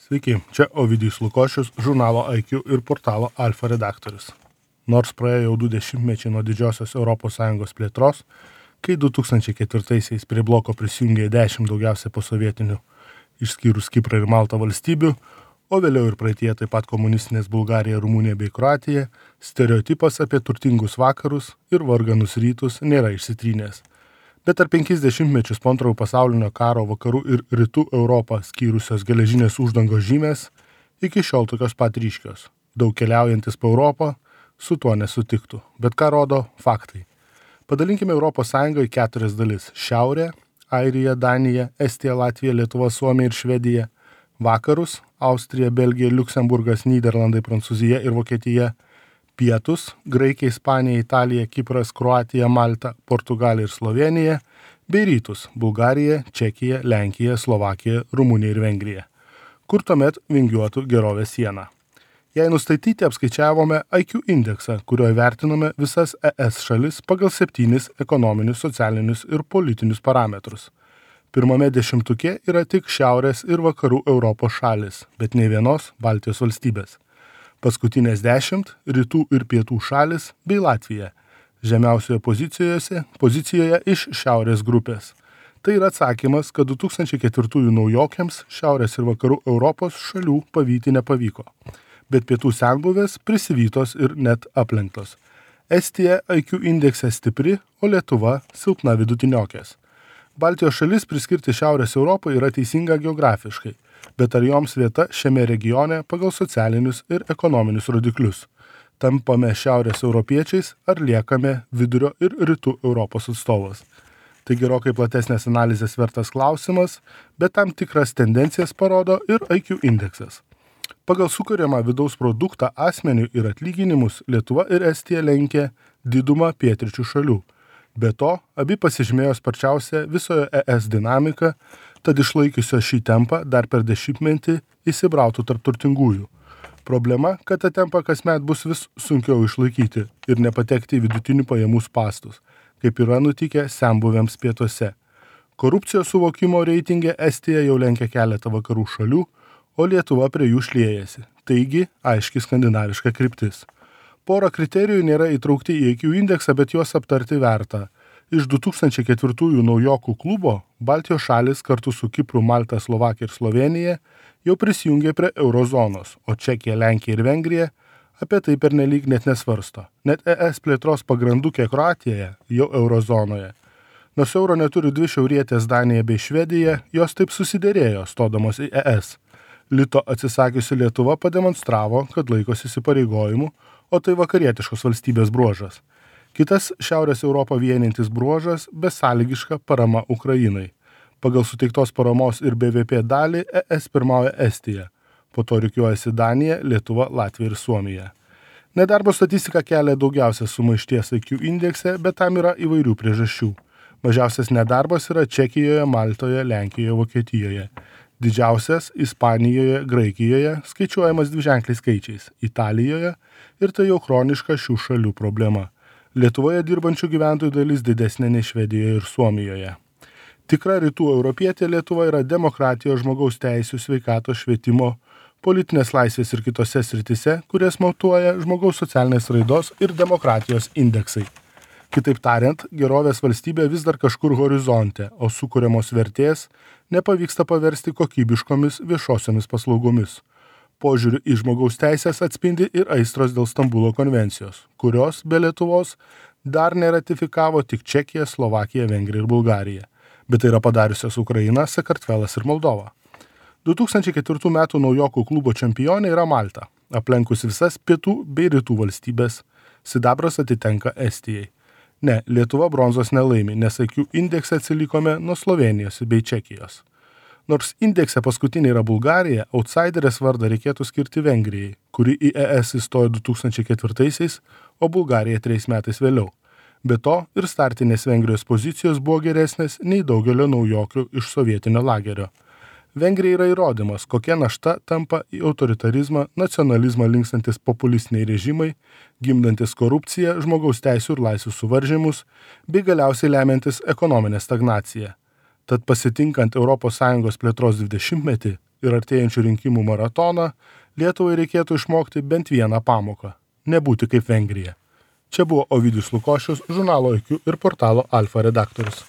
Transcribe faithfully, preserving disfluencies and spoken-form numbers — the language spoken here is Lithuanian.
Sveiki, čia Ovidijus Lukošius, žurnalo I Q ir portalo Alfa redaktorius. Nors praėjo jau du dešimtmečiai nuo didžiosios Europos Sąjungos plėtros, kai du tūkstančiai ketvirtaisiais prie bloko prisijungė dešimt daugiausia posovietinių, išskyrus Kiprą ir Maltą valstybių, o vėliau ir praeitie taip pat komunistinės Bulgarija, Rumunija bei Kroatija, stereotipas apie turtingus vakarus ir varganus rytus nėra išsitrynęs. Bet per penkis dešimtmečius po antrojo pasaulinio karo vakarų ir rytų Europą skyrusios geležinės uždangos žymės iki šiol tokios pat ryškios. Daug keliaujantis po Europą su tuo nesutiktų. Bet ką rodo faktai? Padalinkime Europos Sąjungą į keturias dalis. Šiaurė, Airija, Danija, Estija, Latvija, Lietuva, Suomija ir Švedija. Vakarus, Austrija, Belgija, Liuksemburgas, Nyderlandai, Prancūzija ir Vokietija. Pietus, Graikija, Ispanija, Italija, Kipras, Kroatija, Malta, Portugalija ir Slovenija, bei rytus, Bulgarija, Čekija, Lenkija, Slovakija, Rumunija ir Vengrija, kur tuomet vingiuotų gerovės siena. Jei nustatyti apskaičiavome I Q indeksą, kuriuo vertinome visas E S šalis pagal septynis ekonominius, socialinius ir politinius parametrus. Pirmame dešimtuke yra tik Šiaurės ir Vakarų Europos šalis, bet nei vienos Baltijos valstybės. Paskutinės dešimt rytų ir pietų šalis bei Latvija, žemiausioje pozicijoje, pozicijoje iš šiaurės grupės. Tai yra atsakymas, kad du tūkstančiai ketvirtųjų naujokiams Šiaurės ir Vakarų Europos šalių pavyti nepavyko, bet pietų senbuvės prisivytos ir net aplenktos. Estija I Q indekse stipri, o Lietuva silpna vidutiniokės. Baltijos šalis priskirti Šiaurės Europai yra teisinga geografiškai, bet ar joms vieta šiame regione pagal socialinius ir ekonominius rodiklius? Tampame šiaurės europiečiais ar liekame vidurio ir rytų Europos atstovas? Tai gerokai platesnės analizės vertas klausimas, bet tam tikras tendencijas parodo ir I Q indeksas. Pagal sukuriamą vidaus produktą asmenių ir atlyginimus Lietuva ir Estija lenkia didumą pietryčių šalių. Be to, abi pasižymėjo sparčiausią visoje E S dinamiką, tad išlaikiusio šį tempą dar per dešimtmetį įsibrautų tarp turtingųjų. Problema, kad tą tempą kasmet bus vis sunkiau išlaikyti ir nepatekti į vidutinių pajamų spastus, kaip yra nutikę senbuvėms pietuose. Korupcijos suvokimo reitinge Estija jau lenkia keletą vakarų šalių, o Lietuva prie jų šliejasi. Taigi, aiški skandinaviška kryptis. Porą kriterijų nėra įtraukti į I Q indeksą, bet juos aptarti verta. Iš du tūkstančiai ketvirtųjų naujokų klubo Baltijos šalis kartu su Kipru, Malta, Slovakija ir Slovenija jau prisijungė prie eurozonos, o Čekija, Lenkija ir Vengrija apie tai pernelyg net nesvarsto. Net E S plėtros pagrandukė Kroatijoje jau eurozonoje. Nors euro neturi dvi šiaurietės Danija bei Švedija, jos taip susiderėjo stodamos į E S. Lito atsisakiusi Lietuva pademonstravo, kad laikosi įsipareigojimų, o tai vakarietiškos valstybės bruožas. Kitas Šiaurės Europą vienintis bruožas – besąlygiška parama Ukrainai. Pagal suteiktos paramos ir B V P dalį E S pirmauja Estija, po to rikiuojasi Danija, Lietuva, Latvija ir Suomija. Nedarbo statistika kelia daugiausia sumaišties I Q indekse, bet tam yra įvairių priežasčių. Mažiausias nedarbas yra Čekijoje, Maltoje, Lenkijoje, Vokietijoje. Didžiausias Ispanijoje, Graikijoje, skaičiuojamas dviženkliais skaičiais, Italijoje ir tai jau chroniška šių šalių problema. Lietuvoje dirbančių gyventojų dalis didesnė nei Švedijoje ir Suomijoje. Tikra rytų europietė Lietuva yra demokratijos, žmogaus teisių, sveikatos, švietimo, politinės laisvės ir kitose sritise, kurias matuoja žmogaus socialinės raidos ir demokratijos indeksai. Kitaip tariant, gerovės valstybė vis dar kažkur horizonte, o sukuriamos vertės nepavyksta paversti kokybiškomis viešosiomis paslaugomis. Požiūriu į žmogaus teisės atspindi ir aistros dėl Stambulo konvencijos, kurios be Lietuvos dar neratifikavo tik Čekija, Slovakija, Vengrija ir Bulgarija, bet tai yra padariusios Ukraina, Sakartvelas ir Moldova. du tūkstančiai ketvirtų metų naujokų klubo čempionė yra Malta, aplenkus visas pietų bei rytų valstybės. Sidabras atitenka Estijai. Ne, Lietuva bronzos nelaimi, nes I Q indekse atsilikome nuo Slovenijos bei Čekijos. Nors indekse paskutinė yra Bulgarija, outsiderės vardą reikėtų skirti Vengrijai, kuri į E S įstojo du tūkstančiai ketvirtaisiais, o Bulgarija trejais metais vėliau. Be to ir startinės Vengrijos pozicijos buvo geresnės nei daugelio naujokių iš sovietinio lagerio. Vengrija yra įrodymas, kokia našta tampa į autoritarizmą, nacionalizmą linkstantis populistiniai režimai, gimdantis korupciją, žmogaus teisių ir laisvių suvaržymus, bei galiausiai lemiantis ekonominę stagnaciją. Tad pasitinkant Europos Sąjungos plėtros dvidešimtmetį, ir artėjančių rinkimų maratoną Lietuvai reikėtų išmokti bent vieną pamoką – nebūti kaip Vengrija. Čia buvo Ovidijus Lukošius, žurnalo I Q ir portalo Alfa redaktorius.